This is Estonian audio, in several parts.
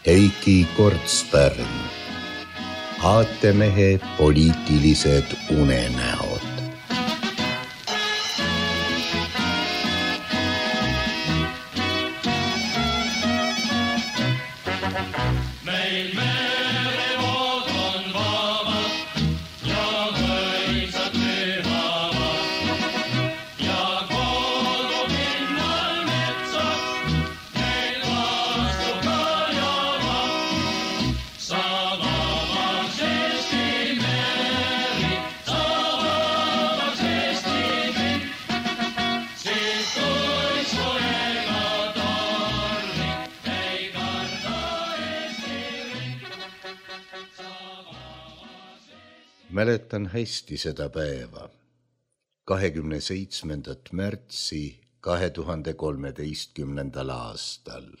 Heiki Kortspärn, aatemehe poliitilised unenäod. Meil merevood on vabad ja mõisad pühavad ja kogu pinnal metsad meil vastu kajavad. Sa vabaks Eesti meri, sa vabaks Eesti kõik, siis kui soega tormi ei karda Eesti riik. Mäletan hästi seda päeva, 27. märtsi 2013. aastal.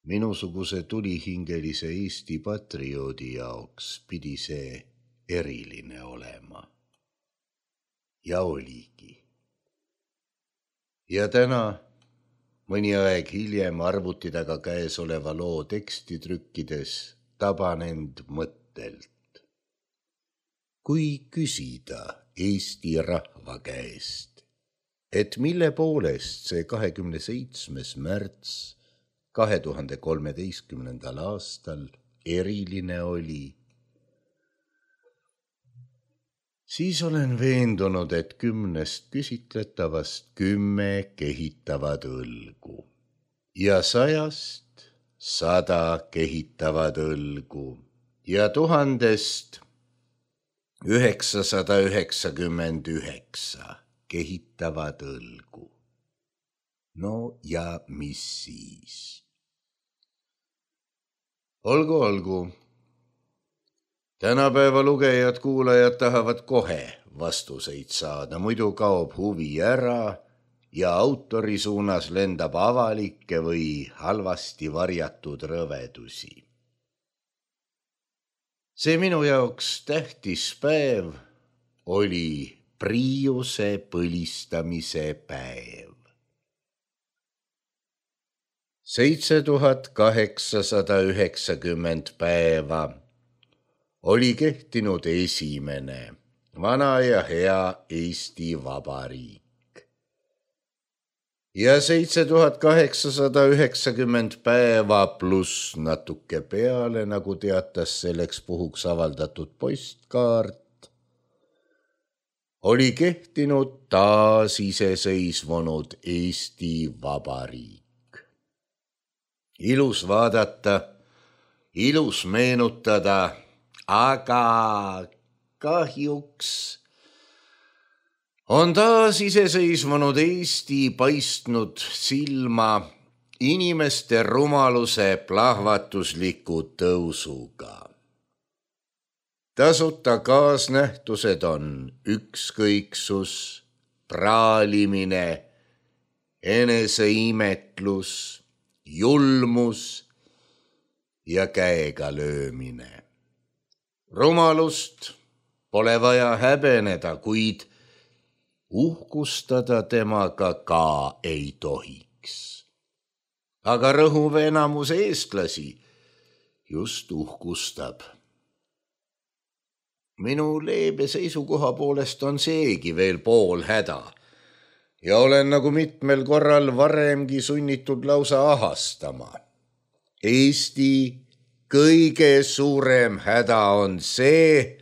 Minusuguse tulihingelise Eesti patrioodi jaoks pidi see eriline olema. Ja oligi. Ja täna, mõni aeg hiljem arvuti taga käesoleva loo teksti trükkides, taban end mõttelt. Kui küsida Eesti rahva käest, et mille poolest see 27. märts 2013. aastal eriline oli, siis olen veendunud, et 10 küsitletavast 10 kehitavad õlgu ja 100 100 kehitavad õlgu ja 1000 999 kehitavad õlgu. No ja mis siis? Olgu. Tänapäeva lugejad-kuulajad tahavad kohe vastuseid saada, muidu kaob huvi ära ja autori suunas lendab avalikke või halvasti varjatud rõvedusi. See minu jaoks tähtis päev oli Priiuse põlistamise päev. 7890 päeva oli kehtinud esimene vana ja hea Eesti Vabariik. Ja 7890 päeva pluss natuke peale, nagu teatas selleks puhuks avaldatud postkaart, oli kehtinud taasiseseisvunud Eesti Vabariik. Ilus vaadata, ilus meenutada, aga kahjuks on taasiseseisvunud Eesti paistnud silma inimeste rumaluse plahvatusliku tõusuga. Tasuta kaasnähtused on ükskõiksus, praalimine, eneseimetlus, julmus ja käega löömine. Rumalust pole vaja häbeneda, kuid uhkustada temaga ka ei tohiks. Aga rõhuv enamus eestlasi just uhkustab. Minu leebe seisukoha poolest on seegi veel pool häda ja olen nagu mitmel korral varemgi sunnitud lausa ahastama. Eesti kõige suurem häda on see,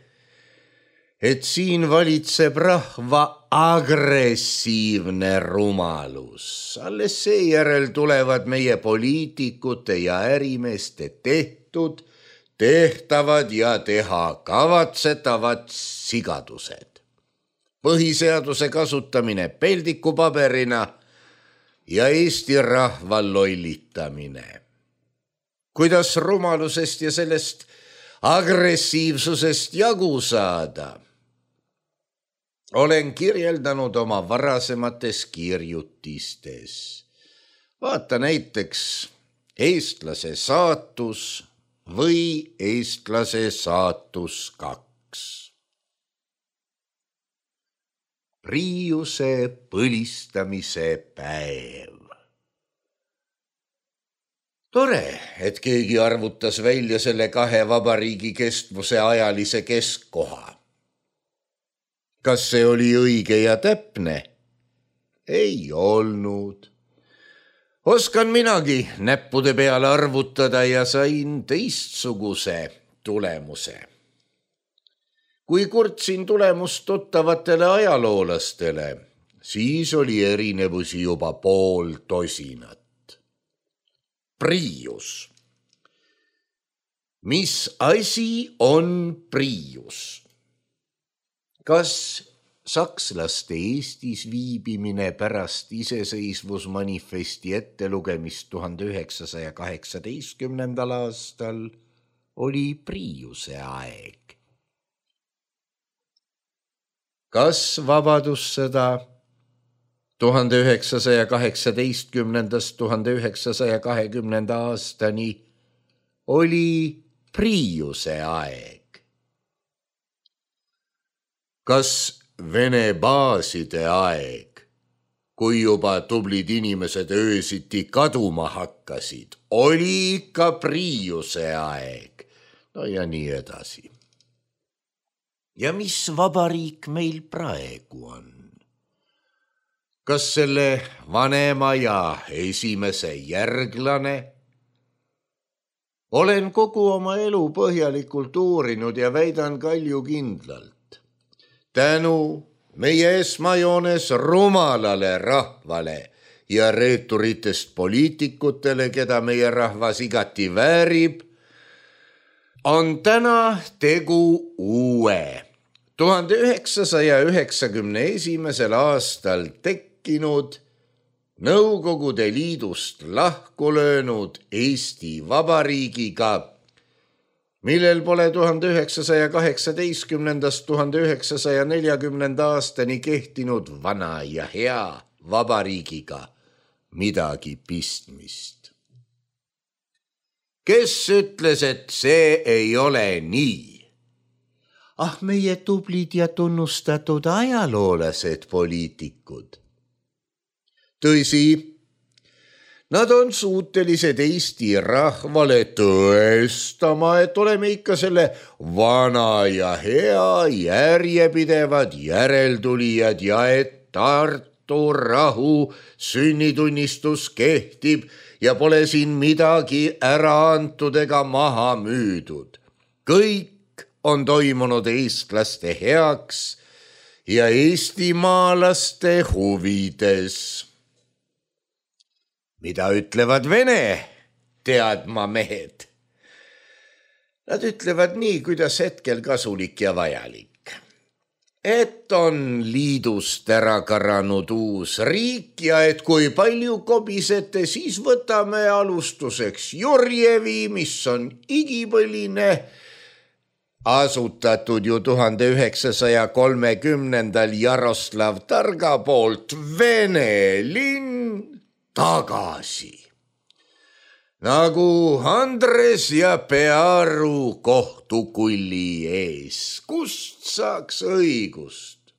et siin valitseb rahva agressiivne rumalus. Alles seejärel tulevad meie poliitikute ja ärimeeste tehtud, tehtavad ja teha kavatsetavad sigadused. Põhiseaduse kasutamine peldikupaberina ja Eesti rahva lollitamine. Kuidas rumalusest ja sellest agressiivsusest jagu saada? Olen kirjeldanud oma varasemates kirjutistes. Vaata näiteks Eestlase saatus või Eestlase saatus 2. Priiuse põlistamise päev. Tore, et keegi arvutas välja selle kahe vabariigi kestvuse ajalise keskkoha. Kas see oli õige ja täpne? Ei olnud. Oskan minagi näppude peale arvutada ja sain teistsuguse tulemuse. Kui kurtsin tulemust tuttavatele ajaloolastele, siis oli erinevusi juba pool tosinat. Priius. Mis asi on priius? Kas sakslaste Eestis viibimine pärast iseseisvusmanifesti ettelugemist 1918. aastal oli priiuse aeg? Kas vabadussõda 1918–1920 aastani oli priiuse aeg? Kas Vene baaside aeg, kui juba tublid inimesed öösiti kaduma hakkasid, oli ikka priiuse aeg? No ja nii edasi. Ja mis vabariik meil praegu on? Kas selle vanema ja esimese järglane? Olen kogu oma elu põhjalikult uurinud ja väidan kaljukindlalt. Tänu meie esmajoones rumalale rahvale ja reeturitest poliitikutele, keda meie rahvas igati väärib, on täna tegu uue 1991. aastal tekkinud Nõukogude Liidust lahku löönud Eesti Vabariigiga, millel pole 1918–1940 aastani kehtinud vana ja hea vabariigiga midagi pistmist. Kes ütles, et see ei ole nii? Meie tublid ja tunnustatud ajaloolased poliitikud. Tõsi, nad on suutelised Eesti rahvale tõestama, et oleme ikka selle vana ja hea järjepidevad järeltulijad ja et Tartu rahu sünnitunnistus kehtib ja pole siin midagi ära antud ega maha müüdud. Kõik on toimunud eestlaste heaks ja eestimaalaste huvides. Mida ütlevad Vene teadmamehed? Nad ütlevad nii, kuidas hetkel kasulik ja vajalik. Et on liidust ära karanud uus riik ja et kui palju kobisete, siis võtame alustuseks Jurjevi, mis on igipõline, asutatud ju 1930. Jaroslav Targa poolt Vene linn tagasi. Nagu Andres ja Pearu kohtukulli ees. Kust saaks õigust?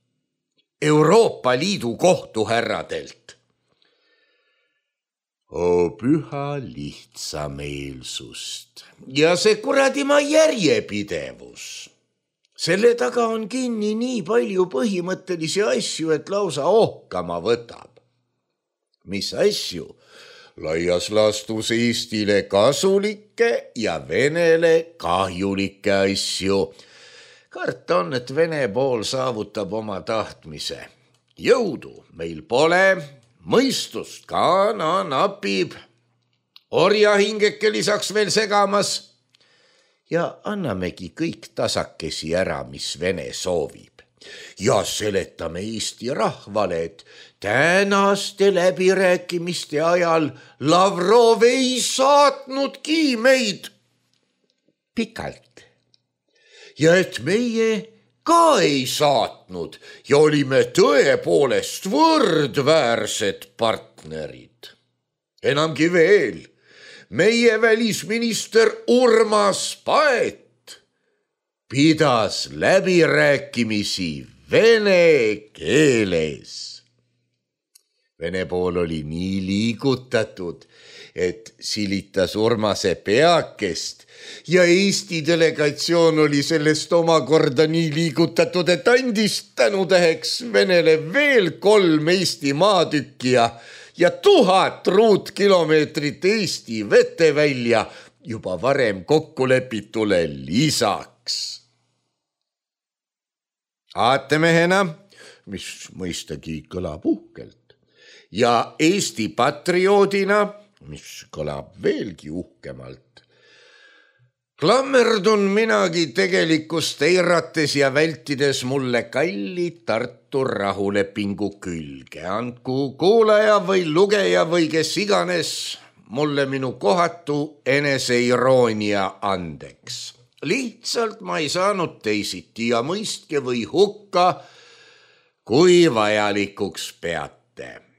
Euroopa Liidu kohtuherradelt. Püha lihtsameelsust. Ja see kuradima järjepidevus. Selle taga on kinni nii palju põhimõttelisi asju, et lausa ohkama võtab. Mis asju? Laias laastus Eestile kasulikke ja Venele kahjulikke asju. Karta on, et Vene pool saavutab oma tahtmise. Jõudu meil pole, mõistust ka napib. Orjahingeke lisaks veel segamas. Ja annamegi kõik tasakesi ära, mis Vene soovib. Ja seletame Eesti rahvale, et tänaste läbirääkimiste ajal Lavrov ei saatnudki meid pikalt. Ja et meie ka ei saatnud ja olime tõepoolest võrdväärsed partnerid. Enamgi veel, meie välisminister Urmas Paet pidas läbirääkimisi vene keeles. Vene pool oli nii liigutatud, et silitas Urmase peakest ja Eesti delegatsioon oli sellest omakorda nii liigutatud, et andis tänutäheks Venele veel 3 Eesti maatükki ja 1000 ruutkilomeetrit Eesti vetevälja juba varem kokkulepitule lisaks. Aatemehena, mis mõistagi kõlab uhkelt, ja Eesti patrioodina, mis kõlab veelgi uhkemalt, klammerdun minagi tegelikkust eirates ja vältides mulle kalli Tartu rahulepingu külge. Andku kuulaja või lugeja või kes iganes mulle minu kohatu eneseiroonia andeks. Lihtsalt ma ei saanud teisiti ja mõistke või hukka, kui vajalikuks peate.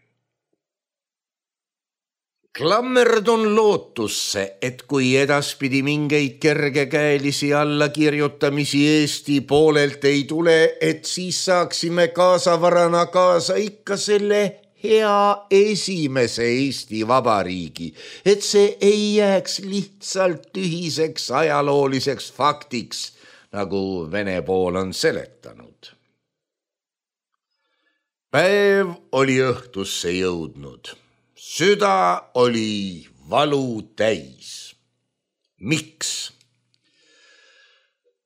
Klammerdun lootusse, et kui edaspidi mingeid kergekäelisi allakirjutamisi Eesti poolelt ei tule, et siis saaksime kaasavarana kaasa ikka selle hea esimese Eesti Vabariigi, et see ei jääks lihtsalt tühiseks ajalooliseks faktiks, nagu Vene pool on seletanud. Päev oli õhtusse jõudnud. Süda oli valu täis. Miks?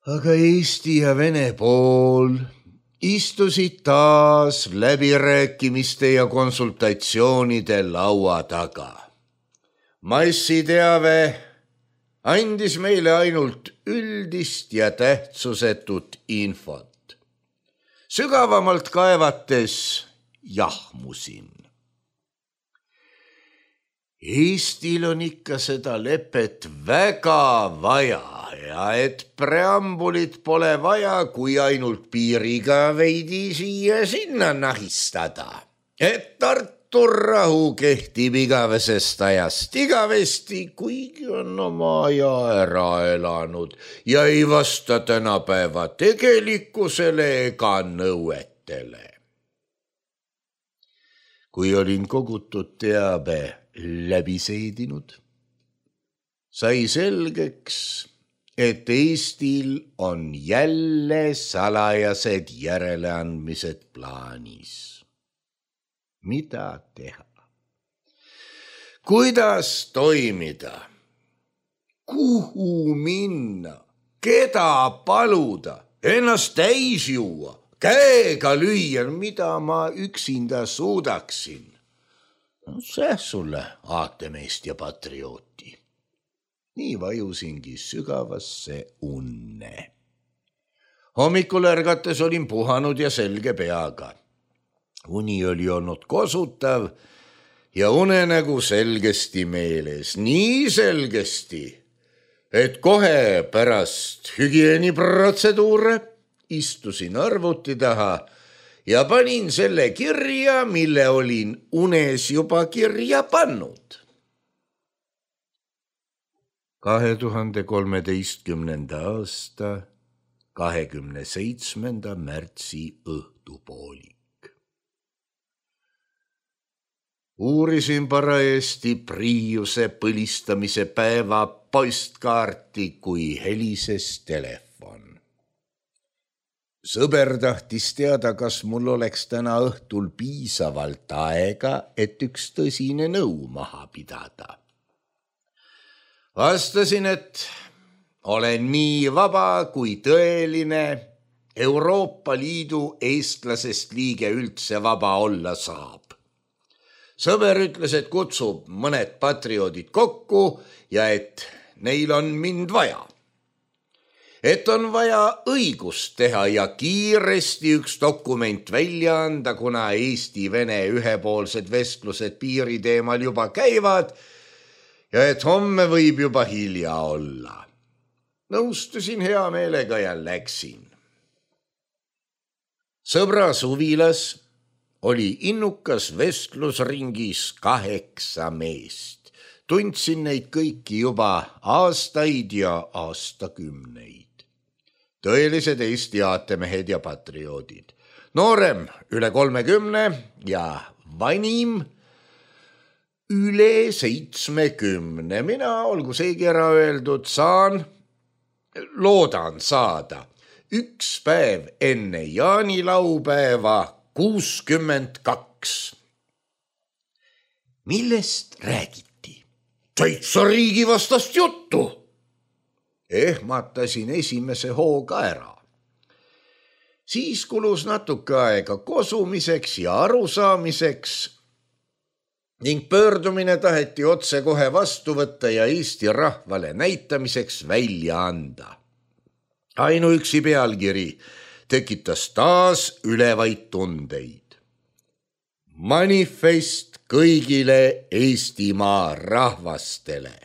Aga Eesti ja Vene pool istusid taas läbirääkimiste ja konsultatsioonide laua taga. Massiteave andis meile ainult üldist ja tähtsusetut infot. Sügavamalt kaevates jahmusin. Eestil on ikka seda lepet väga vaja ja et preambulit pole vaja, kui ainult piiriga veidi siia-sinna nahistada. Et Tartu rahu kehtib igavesest ajast igavesti, kuigi on oma aja ära elanud ja ei vasta tänapäeva tegelikkusele ega nõuetele. Kui olin kogutud teabe läbi seedinud, sai selgeks, et Eestil on jälle salajased järeleandmised plaanis. Mida teha? Kuidas toimida? Kuhu minna? Keda paluda? Ennast täis juua? Käega lüüa, mida ma üksinda suudaksin? See sulle aatemeest ja patriooti. Nii vajusingi sügavasse unne. Hommikul ärgates olin puhanud ja selge peaga. Uni oli olnud kosutav ja unenägu selgesti meeles. Nii selgesti, et kohe pärast hügieeniprotseduure istusin arvuti taha ja panin selle kirja, mille olin unes juba kirja pannud. 2013. aasta 27. märtsi õhtupoolik. Uurisin parajasti Priiuse põlistamise päeva postkaarti, kui helises telefon. Sõber tahtis teada, kas mul oleks täna õhtul piisavalt aega, et üks tõsine nõu maha pidada. Vastasin, et olen nii vaba kui tõeline Euroopa Liidu eestlasest liige üldse vaba olla saab. Sõber ütles, et kutsub mõned patrioodid kokku ja et neil on mind vaja. Et on vaja õigust teha ja kiiresti üks dokument välja anda, kuna Eesti-Vene ühepoolsed vestlused piiri teemal juba käivad ja et homme võib juba hilja olla. Nõustusin hea meelega ja läksin. Sõbra suvilas oli innukas vestlusringis 8 meest. Tundsin neid kõiki juba aastaid ja aastakümneid. Tõelised Eesti aatemehed ja patrioodid. Noorem üle 30 ja vanim üle 70. Mina, olgu seegi ära öeldud, loodan saada üks päev enne jaanilaupäeva 62. Millest räägiti? Täitsa riigivastast juttu. Ehmatasin esimese hooga ära. Siis kulus natuke aega kosumiseks ja arusaamiseks ning pöördumine taheti otse kohe vastu võtta ja Eesti rahvale näitamiseks välja anda. Ainuüksi pealkiri tekitas taas ülevaid tundeid. Manifest kõigile Eestimaa rahvastele.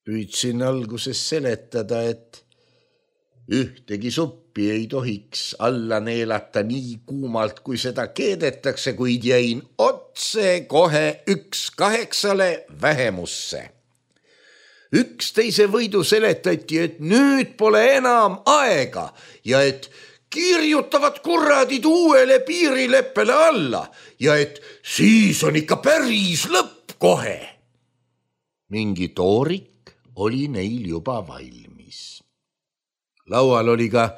Püüdsin alguses seletada, et ühtegi suppi ei tohiks alla neelata nii kuumalt, kui seda keedetakse, kuid jäin otse kohe 1-8 vähemusse. Üksteise võidu seletati, et nüüd pole enam aega ja et kirjutavad kurradid uuele piirileppele alla ja et siis on ikka päris lõpp kohe. Mingi toorik oli neil juba valmis. Laual oli ka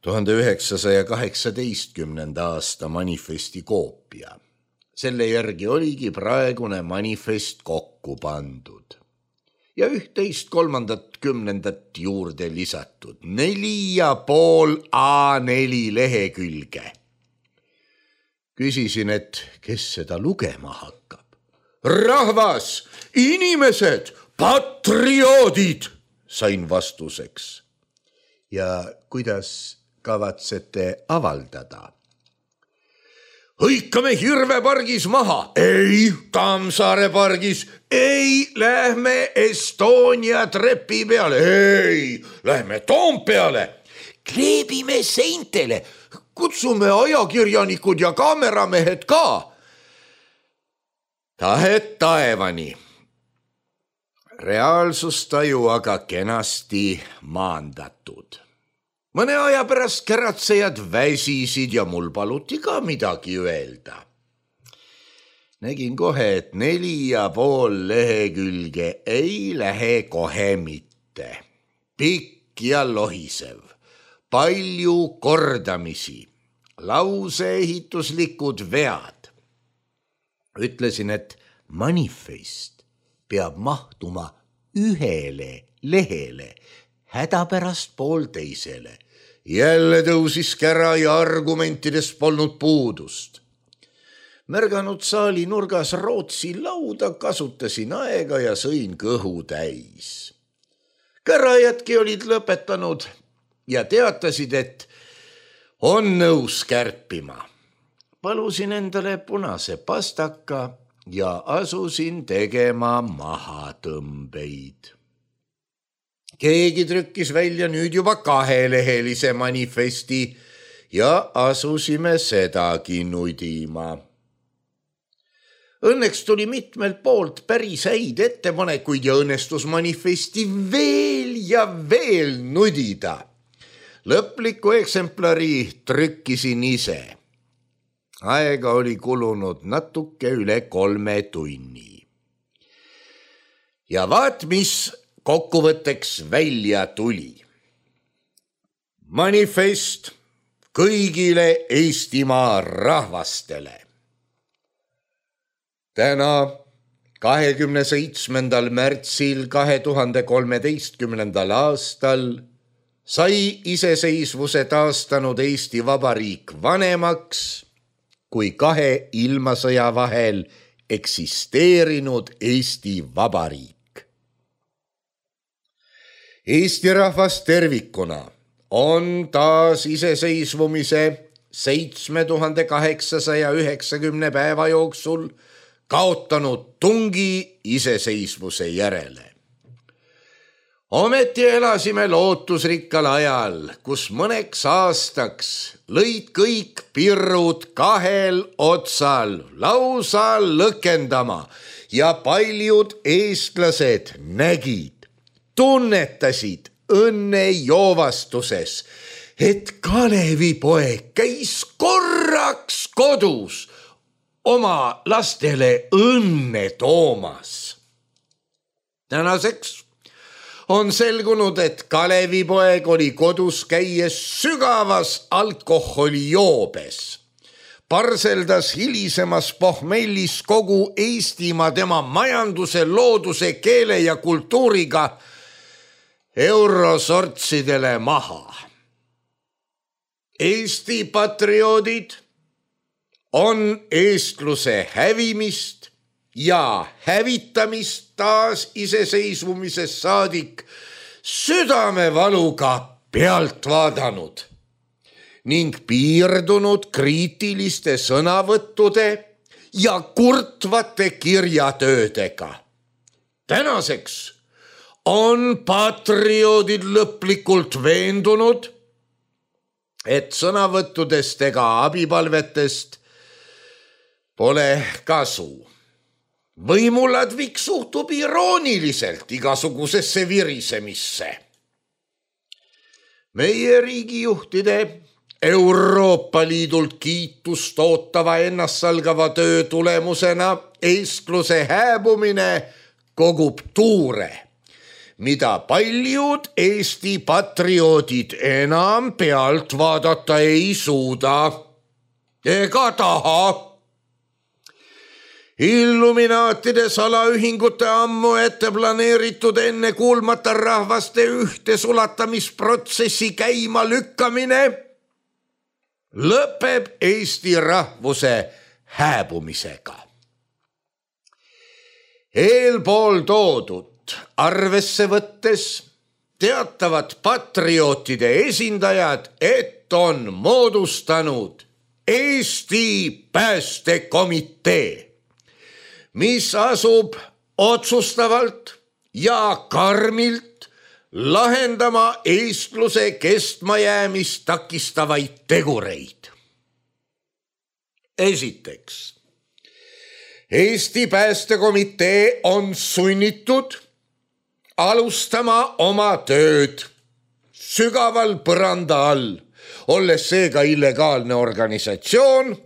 1918. aasta manifesti koopia. Selle järgi oligi praegune manifest kokku pandud ja 11/3 juurde lisatud 4,5 A4 lehekülge. Küsisin, et kes seda lugema hakkab. Rahvas, inimesed, patrioodid, sain vastuseks. Ja kuidas kavatsete avaldada? Hõikame Hirvepargis maha. Ei, Tammsaare pargis. Ei, lähme Estonia trepi peale. Ei, lähme Toompeale. Kleebime seintele. Kutsume ajakirjanikud ja kaameramehed ka. Tahet taevani. Reaalsustaju aga kenasti maandatud. Mõne aja pärast käratsejad väsisid ja mul paluti ka midagi öelda. Nägin kohe, et 4,5 lehekülge ei lähe kohe mitte. Pikk ja lohisev, palju kordamisi, lauseehituslikud vead. Ütlesin, et manifest peab mahtuma ühele lehele, hädapärast poolteisele. Jälle tõusis kära ja argumentidest polnud puudust. Märganud saali nurgas Rootsi lauda, kasutasin aega ja sõin kõhu täis. Kärajadki olid lõpetanud ja teatasid, et on nõus kärpima. Palusin endale punase pastaka ja asusin tegema mahatõmbeid. Keegi trükkis välja nüüd juba 2-lehelise manifesti ja asusime sedagi nudima. Õnneks tuli mitmelt poolt päris häid ettepanekuid ja õnnestus manifesti veel ja veel nudida. Lõpliku eksemplari trükkisin ise. Aega oli kulunud natuke üle 3 tunni. Ja vaat, mis kokkuvõtteks välja tuli. Manifest kõigile Eestimaa rahvastele. Täna 27. märtsil 2013. aastal sai iseseisvuse taastanud Eesti Vabariik vanemaks kui 2 ilmasõja vahel eksisteerinud Eesti Vabariik. Eesti rahvas tervikuna on taas iseseisvumise 7890 päeva jooksul kaotanud tungi iseseisvuse järele. Ometi elasime lootusrikkal ajal, kus mõneks aastaks lõid kõik pirrud 2 otsal lausa lõkendama ja paljud eestlased nägid, tunnetasid õnnejoovastuses, et Kalevipoeg käis korraks kodus oma lastele õnne toomas. Tänaseks on selgunud, et Kalevipoeg oli kodus käies sügavas alkoholijoobes. Parseldas hilisemas pohmellis kogu Eestimaa tema majanduse, looduse, keele ja kultuuriga eurosortsidele maha. Eesti patrioodid on eestluse hävimist ja hävitamist taas iseseisvumisest saadik südamevaluga pealt vaadanud ning piirdunud kriitiliste sõnavõttude ja kurtvate kirjatöödega. Tänaseks on patrioodid lõplikult veendunud, et sõnavõttudest ega abipalvetest pole kasu. Võimuladvik suhtub irooniliselt igasugusesse virisemisse. Meie riigijuhtide Euroopa Liidult kiitust ootava ennastsalgava töö tulemusena eestluse hääbumine kogub tuure, mida paljud Eesti patrioodid enam pealt vaadata ei suuda ega taha. Illuminaatide salaühingute ammu ette planeeritud enne kuulmata rahvaste ühte sulatamisprotsessi käima lükkamine lõpeb Eesti rahvuse hääbumisega. Eelpool toodud arvesse võttes teatavad patriootide esindajad, et on moodustanud Eesti Päästekomitee, mis asub otsustavalt ja karmilt lahendama eestluse kestmajäämist takistavaid tegureid. Esiteks, Eesti Päästekomitee on sunnitud alustama oma tööd sügaval põranda all, olles seega illegaalne organisatsioon,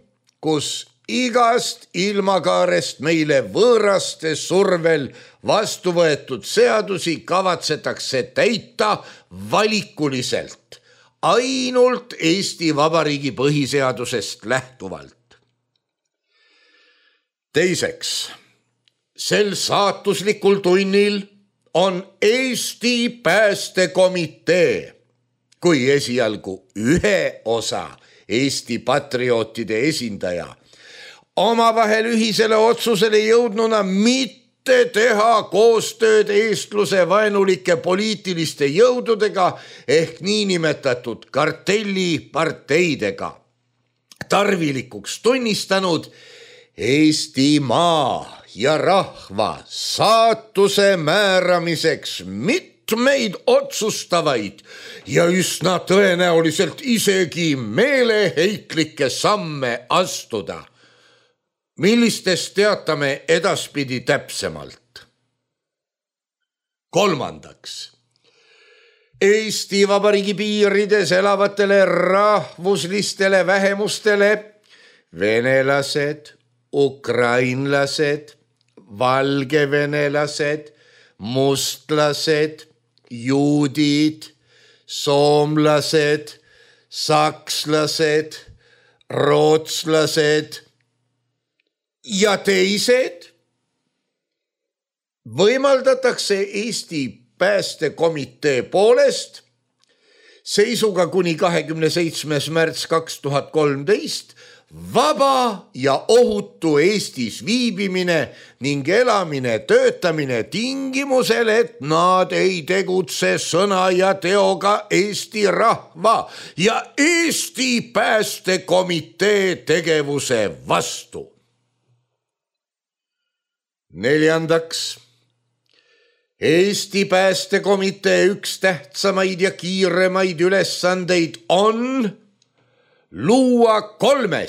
kus igast ilmakaarest meile võõraste survel vastu võetud seadusi kavatsetakse täita valikuliselt, ainult Eesti Vabariigi põhiseadusest lähtuvalt. Teiseks, sel saatuslikul tunnil on Eesti Päästekomitee kui esialgu ühe osa Eesti patriootide esindaja omavahel ühisele otsusele jõudnuna mitte teha koostööd eestluse vaenulike poliitiliste jõududega ehk niinimetatud kartelliparteidega. Tarvilikuks tunnistanud Eestimaa ja rahva saatuse määramiseks mitmeid otsustavaid ja üsna tõenäoliselt isegi meeleheitlikke samme astuda, millistest teatame edaspidi täpsemalt. Kolmandaks, Eesti Vabariigi piirides elavatele rahvuslistele vähemustele, venelased, ukrainlased, valgevenelased, mustlased, juudid, soomlased, sakslased, rootslased ja teised võimaldatakse Eesti Päästekomitee poolest seisuga kuni 27. märts 2013 vaba ja ohutu Eestis viibimine ning elamine, töötamine tingimusel, et nad ei tegutse sõna ja teoga Eesti rahva ja Eesti Päästekomitee tegevuse vastu. Neljandaks, Eesti Päästekomitee üks tähtsamaid ja kiiremaid ülesandeid on luua 3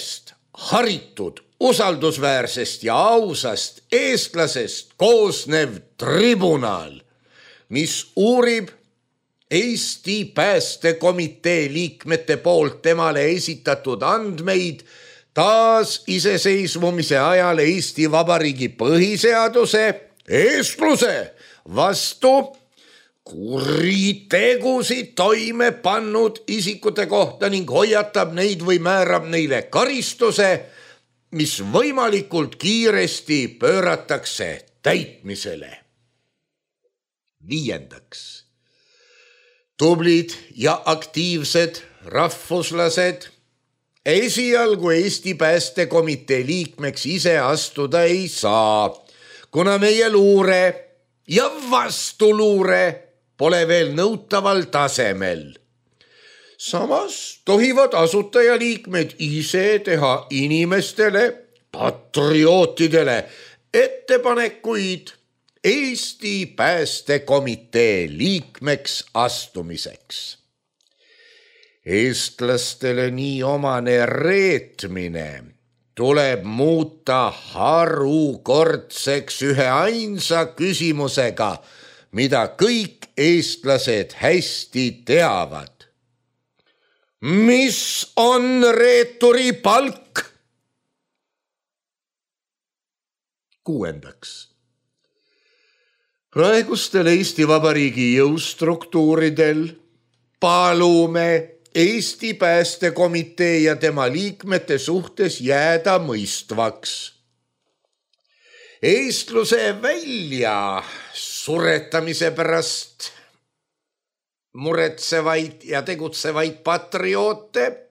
haritud, usaldusväärsest ja ausast eestlasest koosnev tribunal, mis uurib Eesti Päästekomitee liikmete poolt temale esitatud andmeid taasiseseisvumise ajal Eesti Vabariigi põhiseaduse eestluse vastu kuritegusid toime pannud isikute kohta ning hoiatab neid või määrab neile karistuse, mis võimalikult kiiresti pööratakse täitmisele. 5. Tublid ja aktiivsed rahvuslased esialgu Eesti Päästekomitee liikmeks ise astuda ei saa, kuna meie luure ja vastuluure pole veel nõutaval tasemel. Samas tohivad asutajaliikmed ise teha inimestele, patriootidele ettepanekuid Eesti Päästekomitee liikmeks astumiseks. Eestlastele nii omane reetmine tuleb muuta harukordseks ühe ainsa küsimusega, mida kõik eestlased hästi teavad. Mis on reeturi palk? 6. Praegustel Eesti Vabariigi jõustruktuuridel palume Eesti Päästekomitee ja tema liikmete suhtes jääda mõistvaks. Eestluse välja suretamise pärast muretsevaid ja tegutsevaid patrioote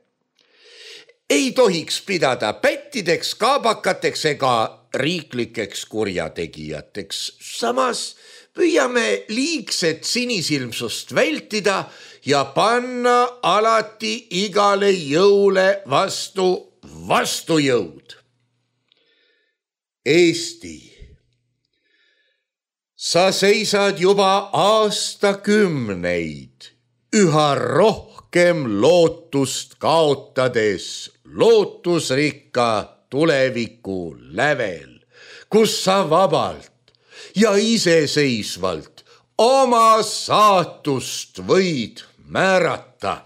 ei tohiks pidada pättideks, kaabakateks ega riiklikeks kurjategijateks. Samas püüame liigset sinisilmsust vältida ja panna alati igale jõule vastu vastujõud. Eesti, sa seisad juba aastakümneid üha rohkem lootust kaotades lootusrikka tuleviku lävel, kus sa vabalt ja iseseisvalt oma saatust võid määrata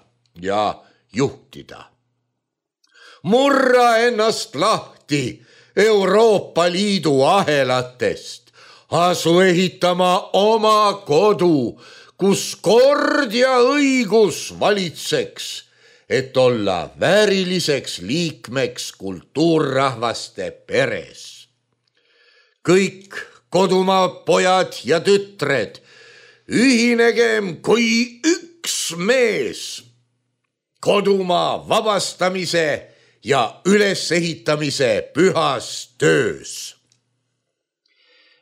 ja juhtida. Murra ennast lahti Euroopa Liidu ahelatest, asu ehitama oma kodu, kus kord ja õigus valitseks, et olla vääriliseks liikmeks kultuurrahvaste peres. Kõik kodumaa pojad ja tütred, ühinegem kui üks mees kodumaa vabastamise ja ülesehitamise pühas töös.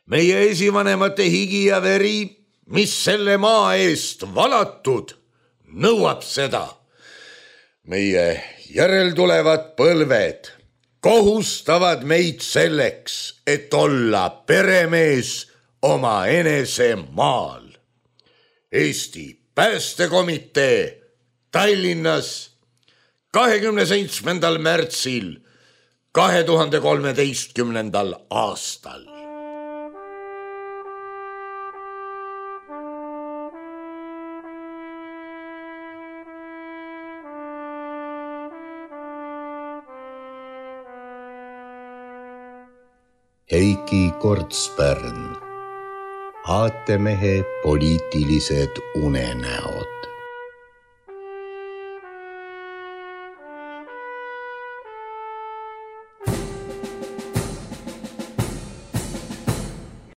Meie esivanemate higi ja veri, mis selle maa eest valatud, nõuab seda. Meie järeltulevad põlved kohustavad meid selleks, et olla peremees oma enese maal. Eesti Päästekomitee Tallinnas 27. märtsil 2013. aastal. Heiki Kortspärn, aatemehe poliitilised unenäod.